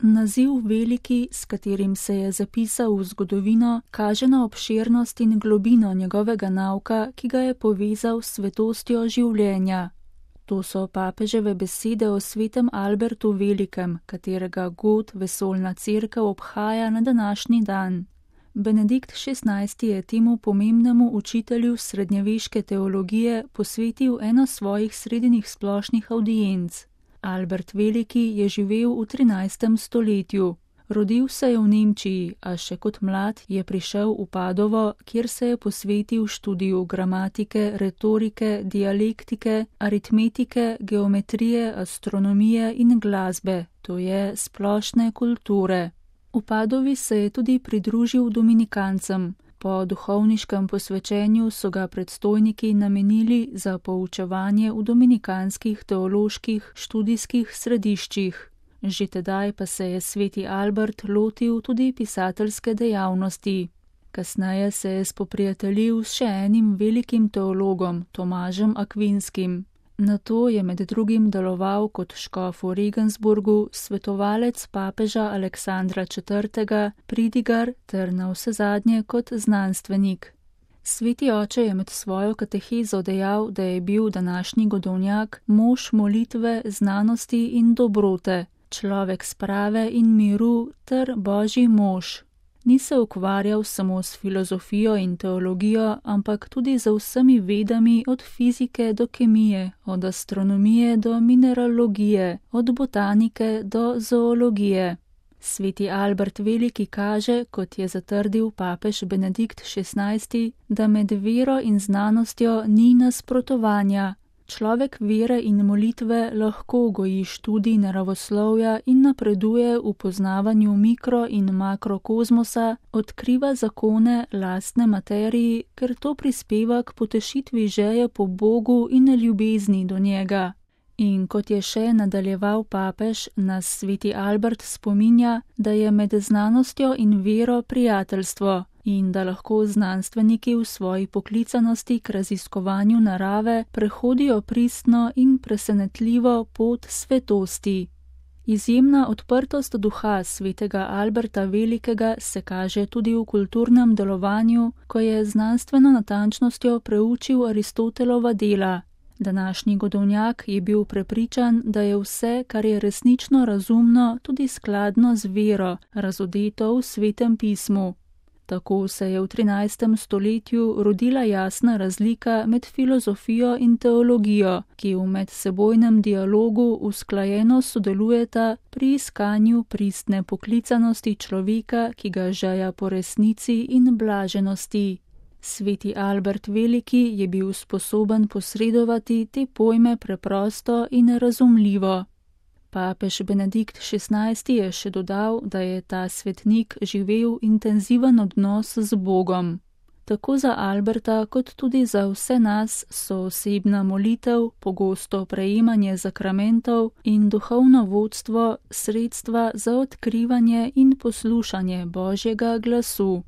Naziv veliki, s katerim se je zapisal v zgodovino, kaže na obširnost in globino njegovega nauka, ki ga je povezal s svetostjo življenja. To so papeževe besede o svetem Albertu Velikem, katerega god vesoljna cerkev obhaja na današnji dan. Benedikt XVI. Je temu pomembnemu učitelju srednjeveške teologije posvetil eno svojih srednjih splošnih avdienc. Albert Veliki je živel v 13. stoletju. Rodil se je v Nemčiji, a še kot mlad je prišel v Padovo, kjer se je posvetil študiju gramatike, retorike, dialektike, aritmetike, geometrije, astronomije in glasbe, to je splošne kulture. V Padovi se je tudi pridružil dominikancem. Po duhovniškem posvečenju so ga predstojniki namenili za poučevanje v dominikanskih teoloških študijskih središčih. Že tedaj pa se je sveti Albert lotil tudi pisateljske dejavnosti. Kasneje se je spoprijateljil s še enim velikim teologom, Tomažem Akvinskim. Nato je med drugim deloval kot škof v Regensburgu, svetovalec papeža Aleksandra IV., pridigar ter navsezadnje kot znanstvenik. Sveti oče je med svojo katehezo dejal, da je bil današnji godovnjak mož molitve, znanosti in dobrote, človek sprave in miru ter božji mož. Ni se ukvarjal samo s filozofijo in teologijo, ampak tudi z vsemi vedami od fizike do kemije, od astronomije do mineralogije, od botanike do zoologije. Sveti Albert Veliki kaže, kot je zatrdil papež Benedikt XVI., da med vero in znanostjo ni nasprotovanja. Človek vere in molitve lahko goji študij naravoslovja in napreduje v poznavanju mikro- in makrokozmosa, odkriva zakone lastne materiji, ker to prispeva k potešitvi želje po Bogu in ljubezni do njega. In kot je še nadaljeval papež, nas sveti Albert spominja, da je med znanostjo in vero prijateljstvo in da lahko znanstveniki v svoji poklicanosti k raziskovanju narave prehodijo pristno in presenetljivo pot svetosti. Izjemna odprtost duha svetega Alberta Velikega se kaže tudi v kulturnem delovanju, ko je znanstveno natančnostjo preučil Aristotelova dela. Današnji godovnjak je bil prepričan, da je vse, kar je resnično razumno, tudi skladno z vero, razodeto v Svetem pismu. Tako se je v 13. stoletju rodila jasna razlika med filozofijo in teologijo, ki v medsebojnem dialogu usklajeno sodelujeta pri iskanju pristne poklicanosti človeka, ki ga žeja po resnici in blaženosti. Sveti Albert Veliki je bil sposoben posredovati te pojme preprosto in razumljivo. Papež Benedikt XVI. Je še dodal, da je ta svetnik živel intenziven odnos z Bogom. Tako za Alberta kot tudi za vse nas so osebna molitev, pogosto prejemanje zakramentov in duhovno vodstvo sredstva za odkrivanje in poslušanje Božjega glasu.